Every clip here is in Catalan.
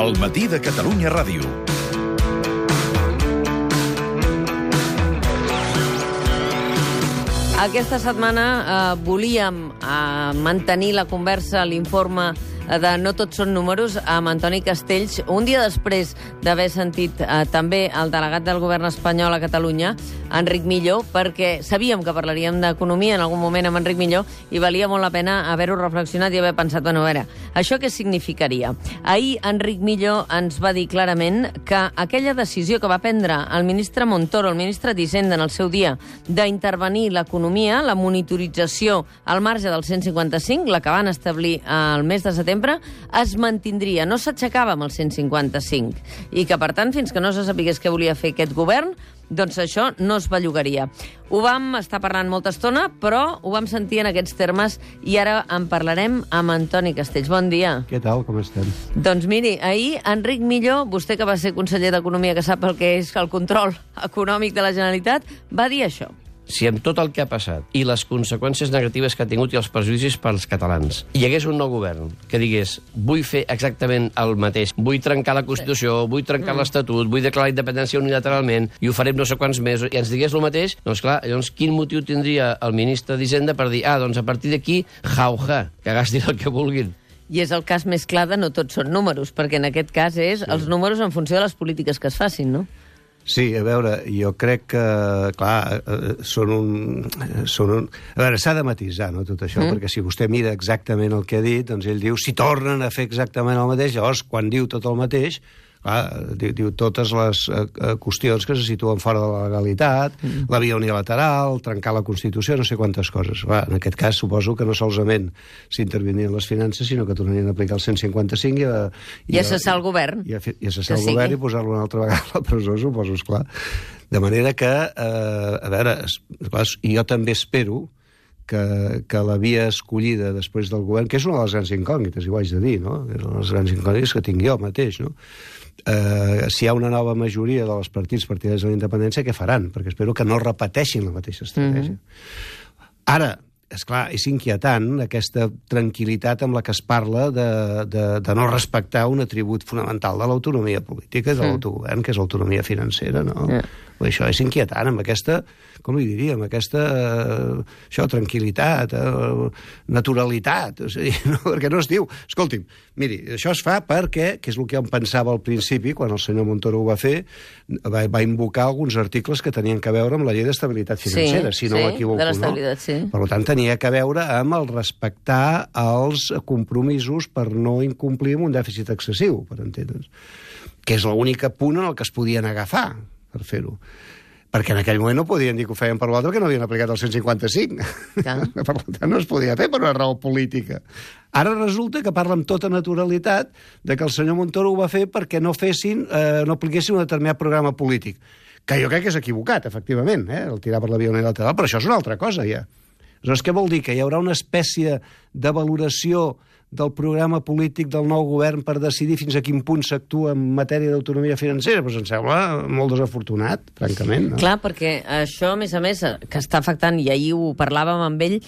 El matí de Catalunya Ràdio. Aquesta setmana volíem mantenir la conversa, l'informe de No tots són números, amb Antoni Castells, un dia després d'haver sentit també el delegat del govern espanyol a Catalunya, Enric Millo, perquè sabíem que parlaríem d'economia en algun moment amb Enric Millo i valia molt la pena haver-ho reflexionat i haver pensat, bueno, a veure, això què significaria? Ahir Enric Millo ens va dir clarament que aquella decisió que va prendre el ministre Montoro, el ministre d'Hisenda en el seu dia, d'intervenir l'economia, la monitorització al marge del 155, la que van establir al mes de setembre, es mantindria, no s'aixecava amb el 155, i que, per tant, fins que no se sapigués què volia fer aquest govern, doncs això no es bellugaria. Ho vam estar parlant molta estona, però ho vam sentir en aquests termes i ara en parlarem amb Antoni Castells. Bon dia. Què tal, com estem? Doncs miri, ahir Enric Millo, vostè que va ser conseller d'Economia, que sap el que és el control econòmic de la Generalitat, va dir això. Si amb tot el que ha passat i les conseqüències negatives que ha tingut i els perjudicis pels catalans hi hagués un nou govern que digués vull fer exactament el mateix, vull trencar la Constitució, vull trencar l'Estatut, vull declarar la independència unilateralment i ho farem no sé quants mesos, i ens digués el mateix, doncs clar, llavors quin motiu tindria el ministre d'Hisenda per dir, doncs a partir d'aquí, jauja, que gastin el que vulguin. I és el cas més clar de No tots són números, perquè en aquest cas és els números en funció de les polítiques que es facin, no? Sí, a veure, jo crec que, clar, són un... A veure, s'ha de matisar, no, tot això, perquè si vostè mira exactament el que ha dit, doncs ell diu, si tornen a fer exactament el mateix, llavors, quan diu tot el mateix, clar, diu totes les qüestions que se situen fora de la legalitat, la via unilateral, trencar la Constitució, no sé quantes coses. Clar, en aquest cas, suposo que no solament s'intervenien les finances, sinó que tornarien a aplicar el 155 i a cessar el govern. I a cessar el govern i posar-lo una altra vegada a la presó, suposo, esclar. De manera que, a veure, esclar, jo també espero que la via escollida després del govern, que és una de les grans incògnites, i ho haig de dir, no? És una de les grans incògnites que tinc jo mateix, no? Si hi ha una nova majoria dels partits partidaris de la independència, què faran? Perquè espero que no repeteixin la mateixa estratègia. Ara, esclar, és inquietant aquesta tranquil·litat amb la que es parla de no respectar un atribut fonamental de l'autonomia política i de l'autogovern, que és l'autonomia financera, no? Això és inquietant, amb aquesta, com li diria, amb aquesta tranquil·litat, naturalitat, o sigui, no? Perquè no es diu, escolti'm, miri, això es fa perquè, que és el que em pensava al principi, quan el senyor Montoro ho va fer, va invocar alguns articles que tenien que veure amb la llei d'estabilitat financera, si no m'equivoco, de l'estabilitat, no? sí. Per tant, tenia que veure amb el respectar els compromisos per no incomplir amb un dèficit excessiu, per entendre's, que és l'única punt en el que es podien agafar per fer-ho. Perquè en aquell moment no podien dir que ho feien per l'altre, perquè no havien aplicat el 155. Per tant, no es podia fer per una raó política. Ara resulta que parla amb tota naturalitat de que el senyor Montoro ho va fer perquè no apliquessin un determinat programa polític. Que jo crec que és equivocat, efectivament, el tirar per la via unilateral, però això és una altra cosa, ja. Aleshores, què vol dir? Que hi haurà una espècie de valoració del programa polític del nou govern per decidir fins a quin punt s'actua en matèria d'autonomia financera? Doncs em sembla molt desafortunat, francament. No? Clar, perquè això, a més, que està afectant, i ahir ho parlàvem amb ell,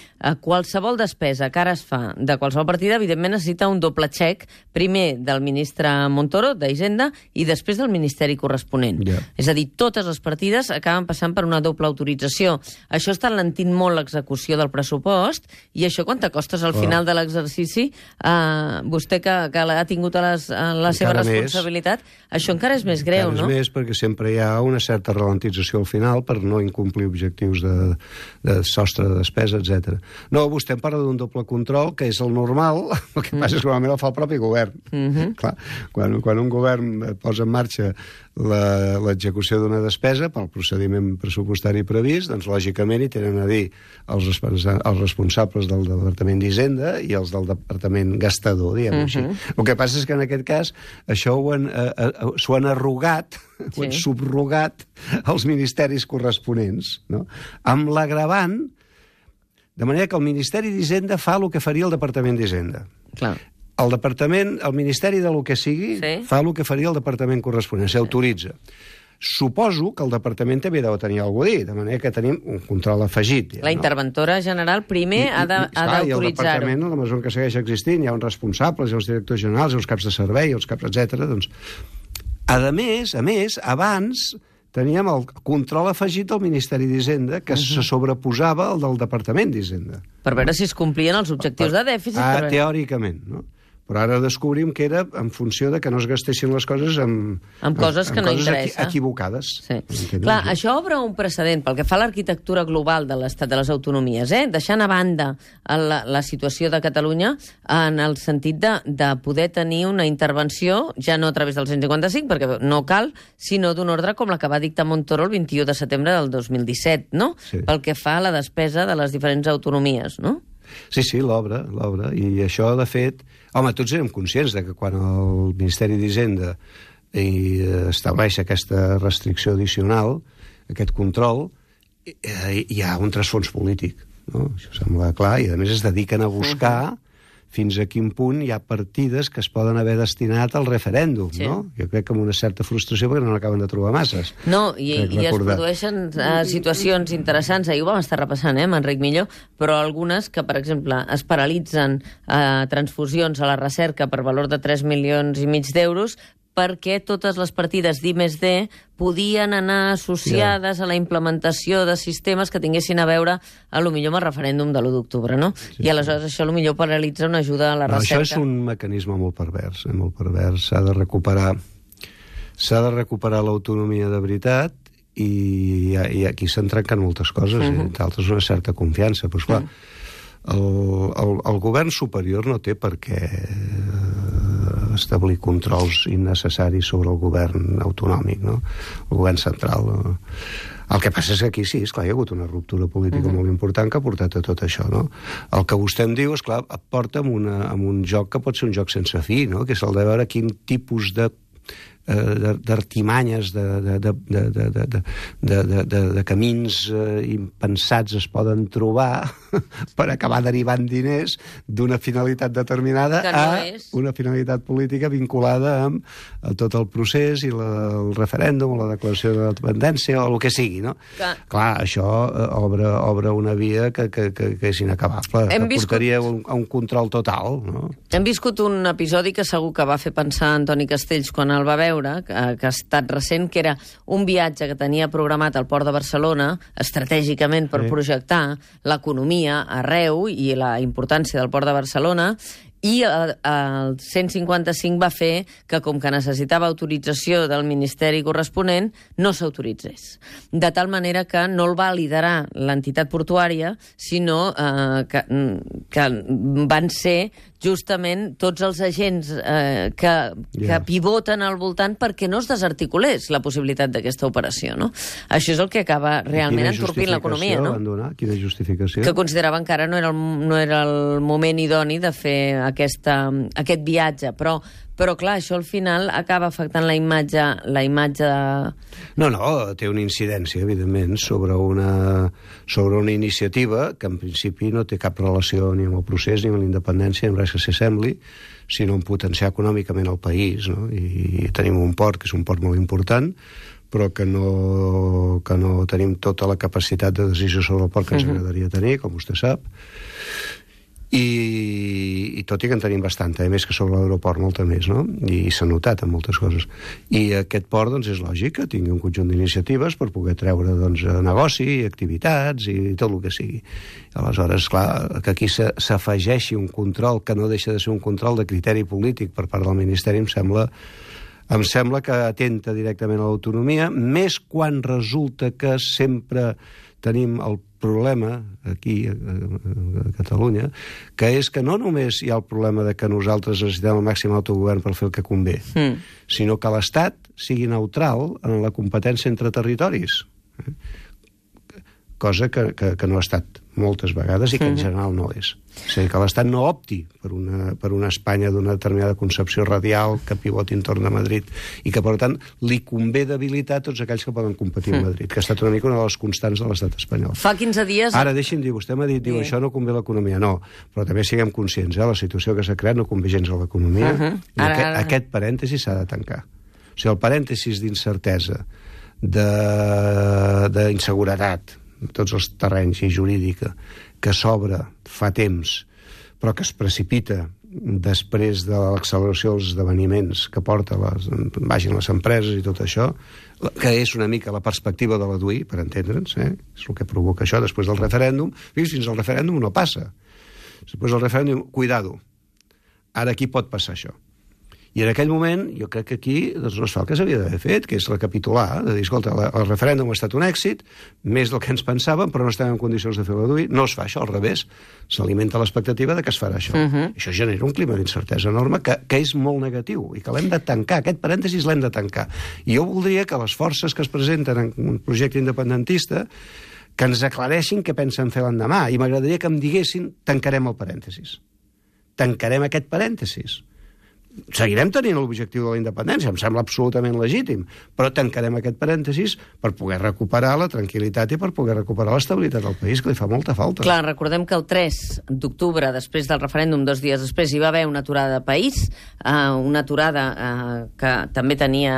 qualsevol despesa que ara es fa de qualsevol partida, evidentment necessita un doble xec, primer del ministre Montoro, d'Hisenda, i després del ministeri corresponent. Yeah. És a dir, totes les partides acaben passant per una doble autorització. Això està alentint molt l'execució del pressupost, i això quant te costes al final de l'exercici? Vostè que ha tingut la seva responsabilitat, això encara és més greu, no? Encara és més, perquè sempre hi ha una certa ralentització al final per no incomplir objectius de sostre de despesa, etc. No, vostè em parla d'un doble control, que és el normal, el que passa és que normalment el fa el propi govern. Clar, quan un govern posa en marxa l'execució d'una despesa pel procediment pressupostari previst, doncs lògicament hi tenen a dir els responsables del Departament d'Hisenda i els del Departament gastador, diguem-ho així. El que passa és que en aquest cas això s'ho han arrogat, ho han subrogat als ministeris corresponents, no? Amb l'agravant, de manera que el Ministeri d'Hisenda fa el que faria el Departament d'Hisenda. Clar. El Ministeri de lo que sigui fa el que faria el departament corresponent, s'autoritza. Suposo que el departament també deu tenir alguna cosa a dir, de manera que tenim un control afegit. La interventora general primer ha d'autoritzar-ho. I el departament, a la mesura que segueix existint, hi ha uns responsables, hi ha els directors generals, hi ha els caps de servei, els caps, etc. Doncs, a més, abans teníem el control afegit del Ministeri d'Hisenda, que se sobreposava al del Departament d'Hisenda. Per veure si es complien els objectius de dèficit. Teòricament, no? Però ara descobrim que era en funció de que no es gastessin les coses amb coses que no interessa. Equivocades. Sí. Clar, això obre un precedent pel que fa a l'arquitectura global de l'Estat de les Autonomies, deixant a banda la situació de Catalunya en el sentit de poder tenir una intervenció, ja no a través del 155, perquè no cal, sinó d'un ordre com la que va dictar Montoro el 21 de setembre del 2017, no? Sí. Pel que fa a la despesa de les diferents autonomies, no? Sí, l'obra. I això, de fet... Home, tots érem conscients de que quan el Ministeri d'Hisenda estableix aquesta restricció addicional, aquest control, hi ha un trasfons polític, no? Això sembla clar, i a més es dediquen a buscar fins a quin punt hi ha partides que es poden haver destinat al referèndum, no? Jo crec que amb una certa frustració perquè no n'acaben de trobar masses. No, i es produeixen situacions interessants. Ahir ho vam estar repassant, amb Enric Milló, però algunes que, per exemple, es paralitzen transfusions a la recerca per valor de 3,5 milions d'euros perquè totes les partides d'I+D podien anar associades a la implementació de sistemes que tinguessin a veure, a lo millor, amb el referèndum de l'1 d'octubre, no? I aleshores això, a lo millor, paralitza una ajuda a la recerca. Això és un mecanisme molt pervers, molt pervers. S'ha de recuperar l'autonomia de veritat i aquí s'han trencat moltes coses, entre altres una certa confiança. Però, esclar, el govern superior no té per què establir controls innecessaris sobre el govern autonòmic, no? El govern central. No? El que passa és que aquí sí, esclar, hi ha hagut una ruptura política molt important que ha portat a tot això, no? El que vostè em diu, esclar, et porta amb un joc que pot ser un joc sense fi, no? Que és el de veure quin tipus d'artimanyes, de camins impensats es poden trobar per acabar derivant diners d'una finalitat determinada una finalitat política vinculada amb tot el procés i el referèndum o la declaració de la dependència o el que sigui, no? Clar, això obre una via que és inacabable, que portaria a un control total, no? Hem viscut un episodi que segur que va fer pensar Antoni Castells quan el va veure, que ha estat recent, que era un viatge que tenia programat al Port de Barcelona estratègicament per projectar l'economia arreu i la importància del Port de Barcelona, i el 155 va fer que, com que necessitava autorització del Ministeri corresponent, no s'autoritzés. De tal manera que no el va liderar l'entitat portuària, sinó que van ser justament tots els agents que pivoten al voltant perquè no es desarticulés la possibilitat d'aquesta operació, no? Això és el que acaba realment entorpint l'economia, no? Quina justificació? Que consideraven que ara no era el moment idoni de fer aquest viatge, però clar, això al final acaba afectant la imatge de... No, té una incidència, evidentment, sobre una iniciativa que en principi no té cap relació ni amb el procés ni amb la independència, ni amb res que s'assembli, sinó en potenciar econòmicament el país, no? I tenim un port, que és un port molt important, però que no tenim tota la capacitat de decisió sobre el port que ens agradaria tenir, com vostè sap. I tot i que en tenim bastanta, més que sobre l'aeroport molta més, no? I s'ha notat en moltes coses. I aquest port, doncs, és lògic que tingui un conjunt d'iniciatives per poder treure, doncs, negoci, activitats i tot el que sigui. Aleshores, clar, que aquí s'afegeixi un control que no deixa de ser un control de criteri polític per part del Ministeri em sembla que atenta directament a l'autonomia, més quan resulta que sempre tenim el problema aquí a Catalunya, que és que no només hi ha el problema de que nosaltres necessitem el màxim autogovern per fer el que convé, sinó que l'Estat sigui neutral en la competència entre territoris. Cosa que no ha estat moltes vegades i que en general no és. És a dir, que l'Estat no opti per una Espanya d'una determinada concepció radial que pivoti entorn de Madrid i que, per tant, li convé debilitar tots aquells que poden competir amb Madrid, que ha estat una mica una de les constants de l'estat espanyol. Fa 15 dies... Ara, deixi'm dir, vostè m'ha dit, això no convé a l'economia. No, però també siguem conscients, la situació que s'ha creat no convé gens a l'economia. Aquest parèntesi s'ha de tancar. O sigui, el parèntesis d'incertesa d'inseguretat en tots els terrenys i jurídica que s'obre fa temps però que es precipita després de l'acceleració dels esdeveniments que porta les empreses i tot això, que és una mica la perspectiva de la DUI, per entendre'ns, és el que provoca això després del referèndum. Fins al referèndum no passa. Després del referèndum, cuidado, ara aquí pot passar això. I en aquell moment, jo crec que aquí doncs, no es fa el que s'havia d'haver fet, que és recapitular, de dir, escolta, el referèndum ha estat un èxit, més del que ens pensàvem, però no estem en condicions de fer la DUI. No es fa això, al revés. S'alimenta l'expectativa de que es farà això. Això genera un clima d'incertesa enorme que és molt negatiu i que l'hem de tancar. Aquest parèntesis l'hem de tancar. I jo voldria que les forces que es presenten en un projecte independentista que ens aclareixin què pensen fer l'endemà. I m'agradaria que em diguessin tancarem el parèntesis. Tancarem aquest parèntesis. Seguirem tenint l'objectiu de la independència, em sembla absolutament legítim, però tancarem aquest parèntesis per poder recuperar la tranquil·litat i per poder recuperar l'estabilitat del país, que li fa molta falta. Clar, recordem que el 3 d'octubre, després del referèndum, 2 dies després, hi va haver una aturada de país, una aturada que també tenia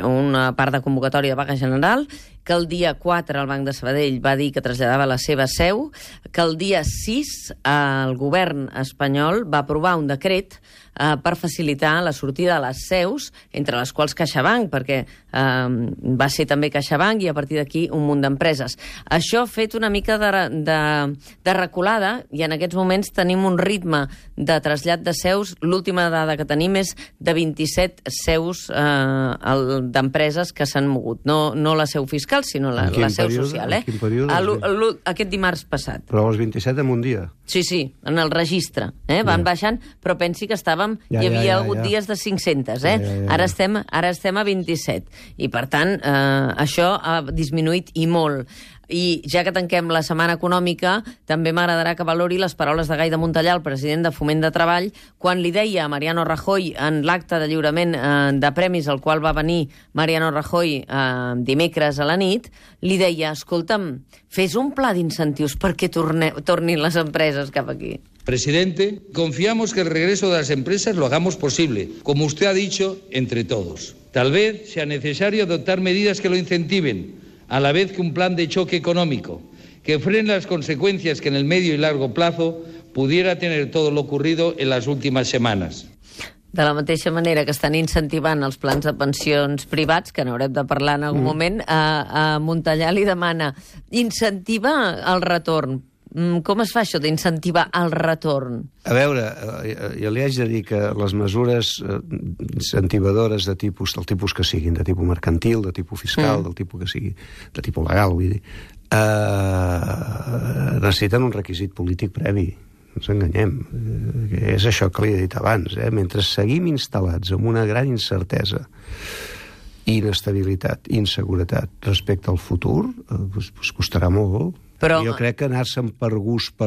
una part de convocatòria de vaga general, que el dia 4 el Banc de Sabadell va dir que traslladava la seva seu, que el dia 6 el govern espanyol va aprovar un decret per facilitar la sortida de les seus, entre les quals CaixaBank, perquè va ser també CaixaBank i a partir d'aquí un munt d'empreses. Això ha fet una mica de reculada i en aquests moments tenim un ritme de trasllat de seus. L'última dada que tenim és de 27 seus d'empreses que s'han mogut. No la seu fiscal, sinó la seu social. En quin període? Aquest dimarts passat. Però els 27 en un dia? Sí, en el registre. Van baixant, però pensi que hi havia hagut dies de 500, Ara estem a 27. I, per tant, això ha disminuït i molt. I ja que tanquem la setmana econòmica, també m'agradarà que valori les paraules de Gai de Montellà, el president de Foment de Treball, quan li deia a Mariano Rajoy en l'acte de lliurament de premis al qual va venir Mariano Rajoy dimecres a la nit, li deia, escolta'm, fes un pla d'incentius perquè tornin les empreses cap aquí. Presidente, confiamos que el regreso de las empresas lo hagamos posible, como usted ha dicho, entre todos. Tal vez sea necesario adoptar medidas que lo incentiven, a la vez que un plan de choque económico, que frene las consecuencias que en el medio y largo plazo pudiera tener todo lo ocurrido en las últimas semanas. De la mateixa manera que estan incentivant els plans de pensions privats, que n'haurem de parlar en algun moment, a Montellà li demana incentivar el retorn. Com es fa això d'incentivar el retorn? A veure, jo li haig de dir que les mesures incentivadores del tipus que siguin, de tipus mercantil, de tipus fiscal, del tipus que sigui, de tipus legal, vull dir, necessiten un requisit polític previ. No ens enganyem. És això que li he dit abans. Mentre seguim instal·lats en una gran incertesa, inestabilitat, inseguretat respecte al futur, doncs costarà molt. Però jo crec que anar-se'n per gust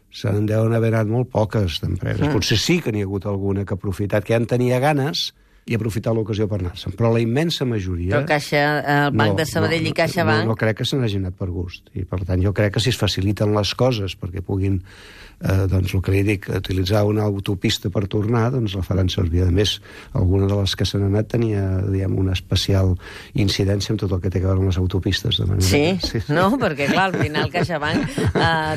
se'n deuen haver anat molt poques d'empreses. Potser sí que n'hi ha hagut alguna que ha aprofitat, que ja en tenia ganes i ha aprofitat l'ocasió per anar-se'n. Però la immensa majoria... Però el Banc de Sabadell i CaixaBank... No crec que se n'hagin anat per gust. I, per tant, jo crec que si es faciliten les coses perquè puguin, doncs, el que li dic, utilitzar una autopista per tornar, doncs la faran servir. A més, alguna de les que se n'han anat tenia, diguem, una especial incidència amb tot el que té a veure amb les autopistes. De manera sí? No? Perquè, clar, al final CaixaBank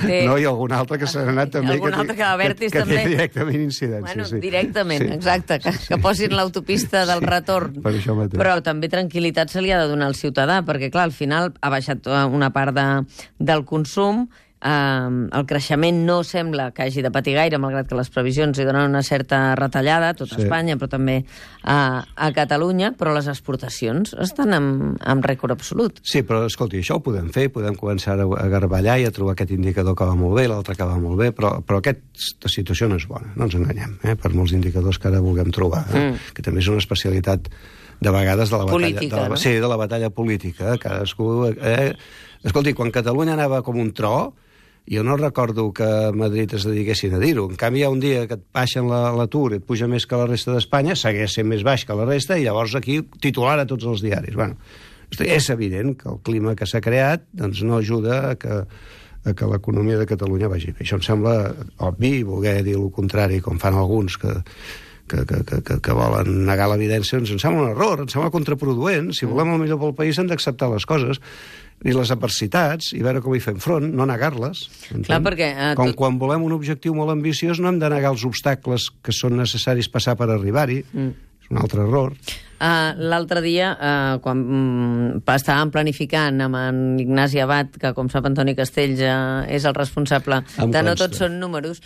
té... No, i algun altre que se n'ha anat també... Algun altre que Abertis també... Que té directament incidència, bueno, directament, exacte, que posin l'autopista del retorn. Per això mateix. Però també tranquil·litat se li ha de donar al ciutadà, perquè, clar, al final ha baixat una part del consum. El creixement no sembla que hagi de patir gaire, malgrat que les previsions hi donen una certa retallada a tot Espanya, però també a Catalunya, però les exportacions estan en rècord absolut. Sí, però escolti, això ho podem fer, podem començar a garballar i a trobar aquest indicador que va molt bé, l'altre que va molt bé, però aquesta situació no és bona, no ens enganyem, per molts indicadors que ara vulguem trobar, que també és una especialitat de vegades de la batalla política, no? Sí, de la batalla política. Cadascú... Escolti, quan Catalunya anava com un tro, jo no recordo que a Madrid es dediquessin a dir-ho. En canvi, hi ha un dia que et baixen l'atur i et puja més que la resta d'Espanya, segueix sent més baix que la resta, i llavors aquí titular a tots els diaris. Bueno, és evident que el clima que s'ha creat doncs no ajuda a que l'economia de Catalunya vagi bé. Això em sembla obvi, voler dir el contrari, com fan alguns que que volen negar l'evidència, ens sembla un error, ens sembla contraproduent. Si volem el millor pel país hem d'acceptar les coses i les adversitats i veure com hi fem front, no negar-les. Clar, perquè... Quan volem un objectiu molt ambiciós no hem de negar els obstacles que són necessaris passar per arribar-hi. És un altre error. L'altre dia, quan estàvem planificant amb en Ignasi Abad, que com sap Antoni Castells és el responsable de No Tots Són Números,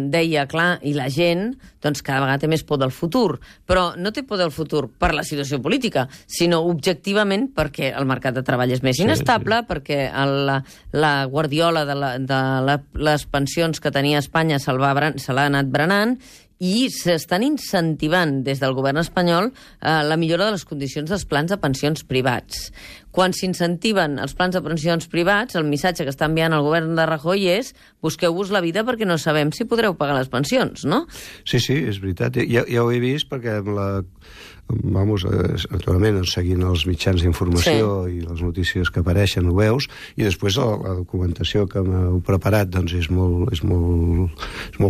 deia, clar, i la gent doncs cada vegada té més por del futur, però no té por del futur per la situació política, sinó objectivament perquè el mercat de treball és més inestable, perquè la guardiola de les pensions que tenia Espanya se l'ha anat berenant, i s'estan incentivant des del govern espanyol la millora de les condicions dels plans de pensions privats. Quan s'incentiven els plans de pensions privats, el missatge que està enviant el govern de Rajoy és busqueu-vos la vida perquè no sabem si podreu pagar les pensions, no? Sí, és veritat. Ja ho he vist perquè naturalment, seguint els mitjans d'informació i les notícies que apareixen ho veus, i després la documentació que m'heu preparat doncs és molt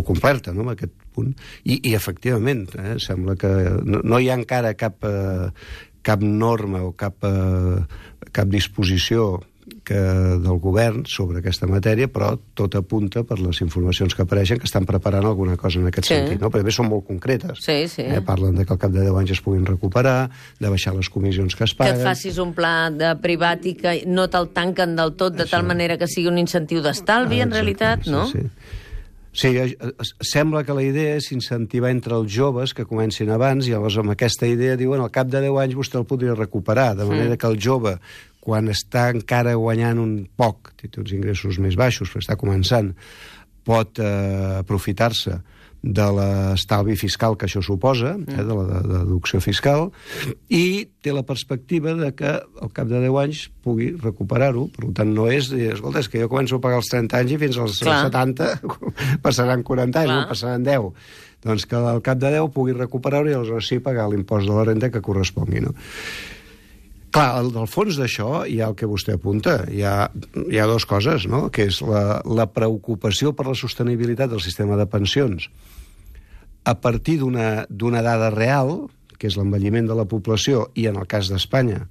completa, no?, en aquest punt. I efectivament, sembla que no hi ha encara cap norma o cap disposició del govern sobre aquesta matèria, però tot apunta per les informacions que apareixen que estan preparant alguna cosa en aquest sentit, no? Perquè a més són molt concretes. Parlen de que al cap de 10 anys es puguin recuperar, de baixar les comissions que es paguen... Que et facis un pla de privat i que no te'l tanquen del tot de tal manera que sigui un incentiu d'estalvi, en realitat, no? Sí, sembla que la idea és incentivar entre els joves que comencin abans i llavors amb aquesta idea diuen al cap de 10 anys vostè el podria recuperar, de manera que el jove, quan està encara guanyant un poc, té uns ingressos més baixos, però està començant, pot aprofitar-se de l'estalvi fiscal que això suposa, de la deducció fiscal, i té la perspectiva de que al cap de 10 anys pugui recuperar-ho. Per tant, no és dir, escolta, és que jo començo a pagar els 30 anys i fins als 70 passaran 40 anys, no passaran 10. Doncs que al cap de 10 pugui recuperar-ho i aleshores sí pagar l'impost de la renda que correspongui, no? Clar, del fons d'això hi ha el que vostè apunta. Hi ha dues coses, no?, que és la preocupació per la sostenibilitat del sistema de pensions a partir d'una dada real, que és l'envelliment de la població, i en el cas d'Espanya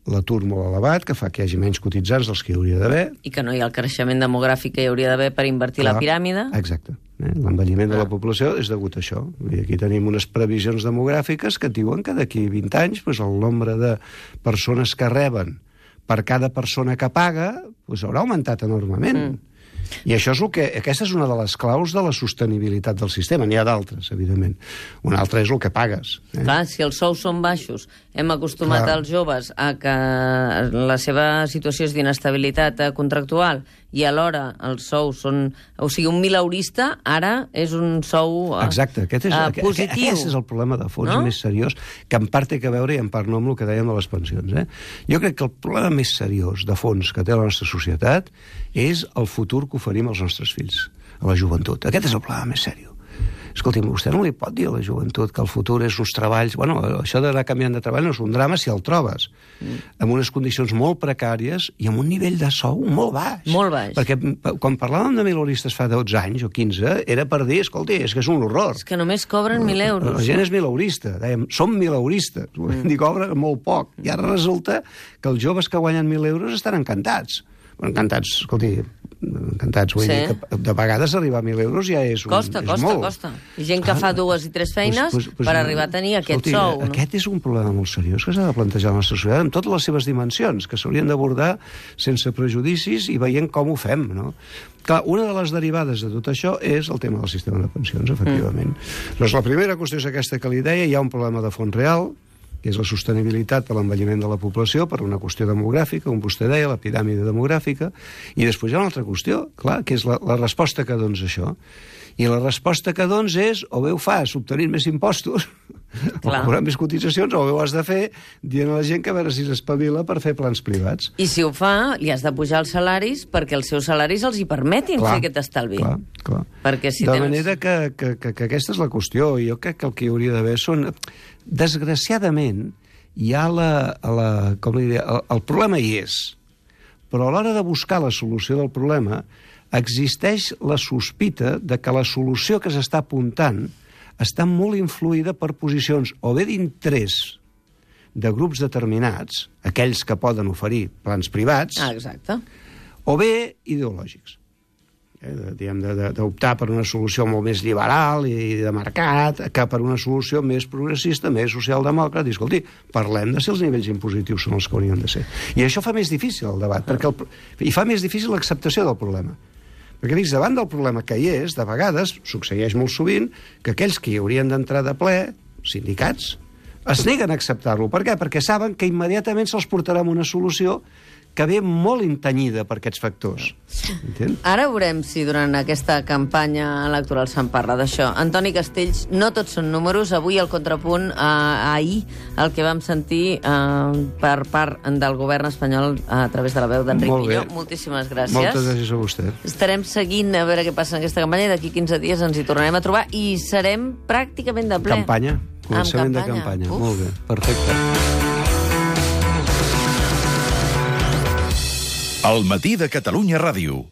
l'atur molt elevat, que fa que hi hagi menys cotitzants dels que hi hauria d'haver. I que no hi ha el creixement demogràfic que hi hauria d'haver per invertir la piràmide. Exacte. L'envelliment de la població és degut a això. I aquí tenim unes previsions demogràfiques que diuen que d'aquí 20 anys el nombre de persones que reben per cada persona que paga haurà augmentat enormement. I això és aquesta és una de les claus de la sostenibilitat del sistema. N'hi ha d'altres, evidentment. Una altra és el que pagues. Clar, si els sous són baixos, hem acostumat els joves a que la seva situació és d'inestabilitat contractual i alhora els sous són... O sigui, un mileurista ara és un sou Exacte, positiu. Aquest és el problema de fons més seriós, que en part té a veure i en part no amb el que dèiem de les pensions. Jo crec que el problema més seriós de fons que té la nostra societat és el futur que oferim als nostres fills, a la joventut. Aquest és el problema més seriós. Escolti'm, vostè no li pot dir a la joventut que el futur és uns treballs... Bueno, això d'anar canviant de treball no és un drama si el trobes. Amb unes condicions molt precàries i amb un nivell de sou molt baix. Molt baix. Perquè quan parlàvem de mileuristes fa 12 anys o 15, era per dir, escolti, és que és un horror. És que només cobren 1.000 euros. La gent és mileurista. Dèiem, som mileuristes. Ni cobren molt poc. I ara resulta que els joves que guanyen 1.000 euros estan encantats. Encantats, escolti, encantats. Vull dir que de vegades arribar a 1.000 euros ja és molt. Costa. I gent que fa 2 i 3 feines per arribar a tenir aquest sou. Aquest és un problema molt seriós que s'ha de plantejar a la nostra societat amb totes les seves dimensions, que s'haurien d'abordar sense prejudicis i veient com ho fem, no? Clar, una de les derivades de tot això és el tema del sistema de pensions, efectivament. Doncs la primera qüestió és aquesta que li deia, hi ha un problema de fons real, que és la sostenibilitat per l'envelliment de la població, per una qüestió demogràfica, com vostè deia, la piràmide demogràfica, i després hi ha una altra qüestió, clar, que és la resposta que dons això. I la resposta que dons és, o bé ho fas obtenint més impostos, o cobrant més cotitzacions, o bé ho has de fer dient a la gent que a veure si s'espavila per fer plans privats. I si ho fa, li has de pujar els salaris perquè els seus salaris els hi permetin fer aquest estalvi. Clar. Perquè si de manera que aquesta és la qüestió. Jo crec que el que hi hauria d'haver són... Desgraciadament, hi ha el problema hi és, però a l'hora de buscar la solució del problema existeix la sospita de que la solució que s'està apuntant està molt influïda per posicions o bé d'interès de grups determinats, aquells que poden oferir plans privats, Exacte. o bé ideològics. D'optar per una solució molt més liberal i de mercat que per una solució més progressista, més socialdemòcrata. I, escolti, parlem de si els nivells impositius són els que haurien de ser. I això fa més difícil el debat, i fa més difícil l'acceptació del problema. Perquè, dius, davant del problema que hi és, de vegades, succeeix molt sovint, que aquells que hi haurien d'entrar de ple, sindicats, es neguen a acceptar-lo. Per què? Perquè saben que immediatament se'ls portarà una solució que ve molt intenyida per aquests factors. Entén? Ara veurem si durant aquesta campanya electoral se'n parla d'això. Antoni Castells, no tots són números. Avui el contrapunt, ahir, el que vam sentir per part del govern espanyol a través de la veu d'Enric Miñó. Moltíssimes gràcies. Moltes gràcies a vostè. Estarem seguint a veure què passa en aquesta campanya i d'aquí 15 dies ens hi tornarem a trobar i serem pràcticament de ple. Campanya. Començament de campanya. Molt bé, perfecte. El matí de Catalunya Ràdio.